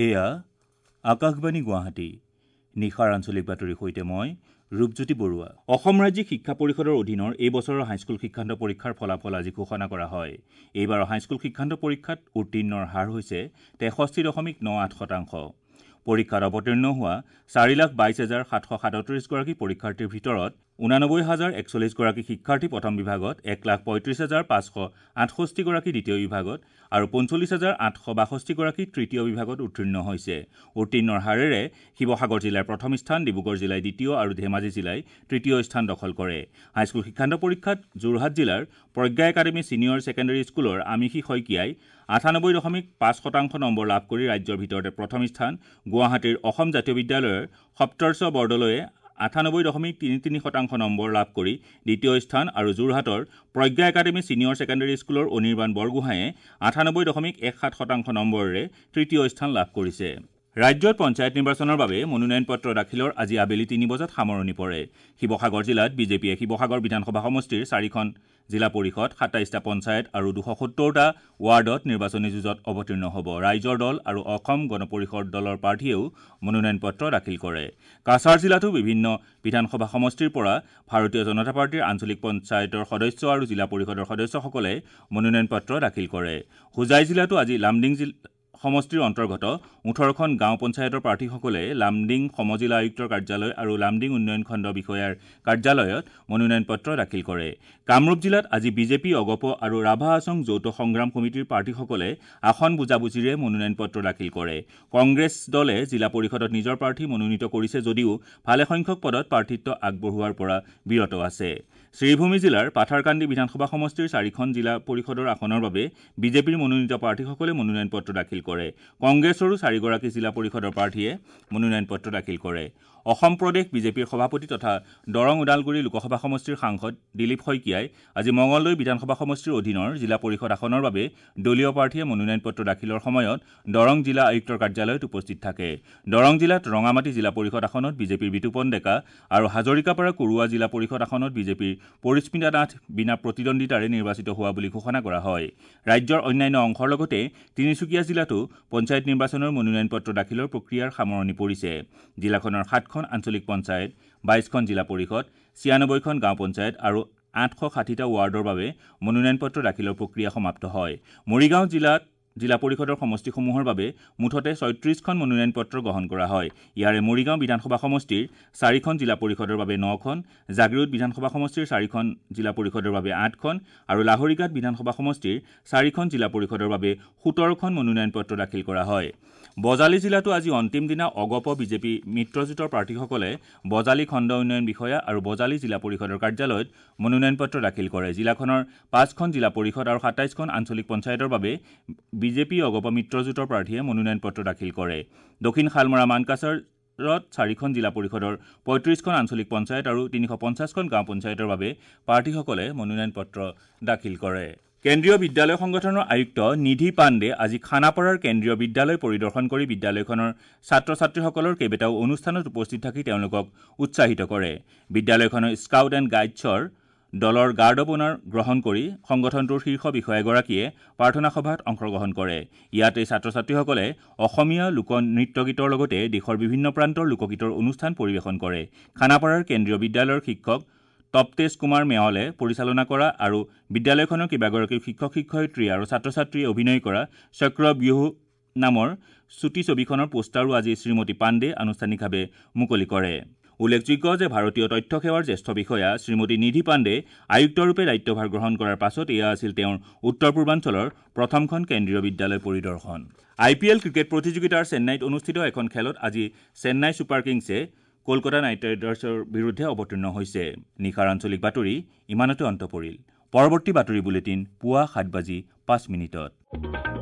এয়া আকাশবাণী গুৱাহাটী। নিশাৰ আঞ্চলিক বাতৰিৰ সৈতে মই ৰূপজ্যোতি বৰুৱা। অসম ৰাজ্যিক শিক্ষা পৰিষদৰ অধীনৰ এই বছৰৰ হাইস্কুল শিক্ষান্ত পৰীক্ষাৰ ফলাফল আজি ঘোষণা কৰা হয়। এইবাৰৰ হাইস্কুল শিক্ষান্ত পৰীক্ষাত উত্তীৰ্ণৰ হাৰ হৈছে 63.98%। পৰীক্ষাত অৱতীৰ্ণ হোৱা 4,22,737 গৰাকী পৰীক্ষাৰ্থীৰ ভিতৰত 89,041 গৰাকী শিক্ষাৰ্থী প্ৰথম বিভাগত, 1,35,568 গৰাকী দ্বিতীয় বিভাগত আৰু 45,862 গৰাকী তৃতীয় বিভাগত উত্তীৰ্ণ হৈছে। উত্তীৰ্ণৰ হাৰেৰে শিৱসাগৰ জিলাই প্ৰথম স্থান, ডিব্ৰুগড় জিলাই দ্বিতীয় আৰু ধেমাজি জিলাই তৃতীয় স্থান দখল কৰে। হাইস্কুল শিক্ষান্ত পৰীক্ষাত যোৰহাট জিলাৰ প্ৰজ্ঞা একাডেমী ছিনিয়ৰ ছেকেণ্ডেৰী স্কুলৰ আমিষী শইকীয়াই 98.5% নম্বৰ লাভ কৰি ৰাজ্যৰ ভিতৰতে প্ৰথম স্থান, গুৱাহাটীৰ অসম জাতীয় বিদ্যালয়ৰ সপ্তৰ্ষ বৰদলৈয়ে 98.33% নম্বৰ লাভ কৰি দ্বিতীয় স্থান আৰু যোৰহাটৰ প্ৰজ্ঞা একাডেমী ছিনিয়ৰ ছেকেণ্ডেৰী স্কুলৰ অনিৰ্বাণ বৰগোহাঁয়ে 98.17% নম্বৰেৰে তৃতীয় স্থান লাভ কৰিছে। ৰাজ্যত পঞ্চায়ত নিৰ্বাচনৰ বাবে মনোনয়ন পত্ৰ দাখিলৰ আজি আবেলি 3 বজাত সামৰণি পৰে। শিৱসাগৰ জিলাত বিজেপিয়ে শিৱসাগৰ বিধানসভা সমষ্টিৰ 4খন জিলা পৰিষদ, 27টা পঞ্চায়ত আৰু 270টা ৱাৰ্ডত নিৰ্বাচনী যুঁজত অৱতীৰ্ণ হ'ব। ৰাইজৰ দল আৰু অসম গণ পৰিষদ দলৰ প্ৰাৰ্থীয়েও মনোনয়ন পত্ৰ দাখিল কৰে। কাছাৰ জিলাতো বিভিন্ন বিধানসভা সমষ্টিৰ পৰা ভাৰতীয় জনতা পাৰ্টীৰ আঞ্চলিক পঞ্চায়তৰ সদস্য আৰু জিলা পৰিষদৰ সদস্যসকলে মনোনয়ন পত্ৰ দাখিল কৰে। হোজাই জিলাতো আজি লামডিং সমষ্টিৰ অন্তৰ্গত 18খন গাঁও পঞ্চায়তৰ প্ৰাৰ্থীসকলে লামডিং সমজিলা আয়ুক্তৰ কাৰ্যালয় আৰু লামডিং উন্নয়ন খণ্ড বিষয়াৰ কাৰ্যালয়ত মনোনয়ন পত্ৰ দাখিল কৰে। কামৰূপ জিলাত আজি বিজেপি, অগপ আৰু ৰাভা হাছং যৌথ সংগ্ৰাম সমিতিৰ প্ৰাৰ্থীসকলে আসন বুজাবুজিৰে মনোনয়ন পত্ৰ দাখিল কৰে। কংগ্ৰেছ দলে জিলা পৰিষদত নিজৰ প্ৰাৰ্থী মনোনীত কৰিছে যদিও ভালেসংখ্যক পদত প্ৰাৰ্থিত্ব আগবঢ়োৱাৰ পৰা বিৰত আছে। শ্ৰীভূমি জিলাৰ পাথাৰকান্দি বিধানসভা সমষ্টিৰ 4খন জিলা পৰিষদৰ আসনৰ বাবে বিজেপিৰ মনোনীত প্ৰাৰ্থীসকলে মনোনয়ন পত্ৰ দাখিল কৰে। কংগ্ৰেছৰো 4গৰাকী জিলা পৰিষদৰ প্ৰাৰ্থীয়ে মনোনয়ন পত্ৰ দাখিল কৰে। অসম প্ৰদেশ বিজেপিৰ সভাপতি তথা দৰং ওদালগুৰি লোকসভা সমষ্টিৰ সাংসদ দিলীপ শইকীয়াই আজি মঙলদৈ বিধানসভা সমষ্টিৰ অধীনৰ জিলা পৰিষদ আসনৰ বাবে দলীয় প্ৰাৰ্থীয়ে মনোনয়ন পত্ৰ দাখিলৰ সময়ত দৰং জিলা আয়ুক্তৰ কাৰ্যালয়ত উপস্থিত থাকে। দৰং জিলাত ৰঙামাটি জিলা পৰিষদ আসনত বিজেপিৰ বিতুপন ডেকা আৰু হাজৰিকাপাৰা কুৰুৱা জিলা পৰিষদ আসনত বিজেপিৰ পৰিস্মিতা নাথ বিনা প্ৰতিদ্বন্দ্বিতাৰে নিৰ্বাচিত হোৱা বুলি ঘোষণা কৰা হয়। ৰাজ্যৰ অন্যান্য অংশৰ লগতে তিনিচুকীয়া জিলাতো পঞ্চায়ত নিৰ্বাচনৰ মনোনয়ন পত্ৰ দাখিলৰ প্ৰক্ৰিয়াৰ সামৰণি পৰিছে। জিলাখনৰ 7খন আঞ্চলিক পঞ্চায়ত, 22খন জিলা পৰিষদ, 96খন গাঁও পঞ্চায়ত আৰু 860টা ৱাৰ্ডৰ বাবে মনোনয়ন পত্ৰ দাখিলৰ প্ৰক্ৰিয়া সমাপ্ত হয়। মৰিগাঁও জিলাত জিলা পৰিষদৰ সমষ্টিসমূহৰ বাবে মুঠতে 36খন মনোনয়ন পত্ৰ গ্ৰহণ কৰা হয়। ইয়াৰে মৰিগাঁও বিধানসভা সমষ্টিৰ 4খন জিলা পৰিষদৰ বাবে 9খন, জাগীৰোড বিধানসভা সমষ্টিৰ 4খন জিলা পৰিষদৰ বাবে 8খন আৰু লাহৰীঘাট বিধানসভা সমষ্টিৰ 4খন জিলা পৰিষদৰ বাবে 17খন মনোনয়ন পত্ৰ দাখিল কৰা হয়। বজালী জিলাতো আজি অন্তিম দিনা অগপ বিজেপি মিত্ৰজোঁটৰ প্ৰাৰ্থীসকলে বজালী খণ্ড উন্নয়ন বিষয়া আৰু বজালী জিলা পৰিষদৰ কাৰ্যালয়ত মনোনয়ন পত্ৰ দাখিল কৰে। জিলাখনৰ 5খন জিলা পৰিষদ আৰু 27খন আঞ্চলিক পঞ্চায়তৰ বাবে বিজেপি অগপ মিত্ৰজোঁটৰ প্ৰাৰ্থীয়ে মনোনয়ন পত্ৰ দাখিল কৰে। দক্ষিণ শালমৰা মানকাছাৰত 4খন জিলা পৰিষদৰ 35খন আঞ্চলিক পঞ্চায়ত আৰু 350খন গাঁও পঞ্চায়তৰ বাবে প্ৰাৰ্থীসকলে মনোনয়ন পত্ৰ দাখিল কৰে। কেন্দ্ৰীয় বিদ্যালয় সংগঠনৰ আয়ুক্ত নিধি পাণ্ডে আজি খানাপাৰাৰ কেন্দ্ৰীয় বিদ্যালয় পৰিদৰ্শন কৰি বিদ্যালয়খনৰ ছাত্ৰ ছাত্ৰীসকলৰ কেইবাটাও অনুষ্ঠানত উপস্থিত থাকি তেওঁলোকক উৎসাহিত কৰে। বিদ্যালয়খনৰ স্কাউট এণ্ড গাইডছৰ দলৰ গাৰ্ড অৱ অনাৰ গ্ৰহণ কৰি সংগঠনটোৰ শীৰ্ষ বিষয়াগৰাকীয়ে প্ৰাৰ্থনা সভাত অংশগ্ৰহণ কৰে। ইয়াতে ছাত্ৰ ছাত্ৰীসকলে অসমীয়া লোক নৃত্যগীতৰ লগতে দেশৰ বিভিন্ন প্ৰান্তৰ লোকগীতৰ অনুষ্ঠান পৰিৱেশন কৰে। খানাপাৰাৰ কেন্দ্ৰীয় বিদ্যালয়ৰ শিক্ষক তপতেজ কুমাৰ মেৱালে পৰিচালনা কৰা আৰু বিদ্যালয়খনৰ কেইবাগৰাকীও শিক্ষক শিক্ষয়িত্ৰী আৰু ছাত্ৰ ছাত্ৰীয়ে অভিনয় কৰা চক্ৰব্যূহ নামৰ চুটি ছবিখনৰ পোষ্টাৰো আজি শ্ৰীমতী পাণ্ডে আনুষ্ঠানিকভাৱে মুকলি কৰে। উল্লেখযোগ্য যে ভাৰতীয় তথ্য সেৱাৰ জ্যেষ্ঠ বিষয়া শ্ৰীমতী নিধি পাণ্ডে আয়ুক্তৰূপে দায়িত্বভাৰ গ্ৰহণ কৰাৰ পাছত এয়া আছিল তেওঁৰ উত্তৰ পূৰ্বাঞ্চলৰ প্ৰথমখন কেন্দ্ৰীয় বিদ্যালয় পৰিদৰ্শন। আই পি এল ক্ৰিকেট প্ৰতিযোগিতাৰ চেন্নাইত অনুষ্ঠিত এখন খেলত আজি চেন্নাই ছুপাৰ কিংছে কলকাতা নাইট ৰাইডাৰ্ছৰ বিৰুদ্ধে অৱতীৰ্ণ হৈছে। নিশাৰ আঞ্চলিক বাতৰি ইমানতে অন্ত পৰিল। পৰৱৰ্তী বাতৰি বুলেটিন পুৱা 7:05।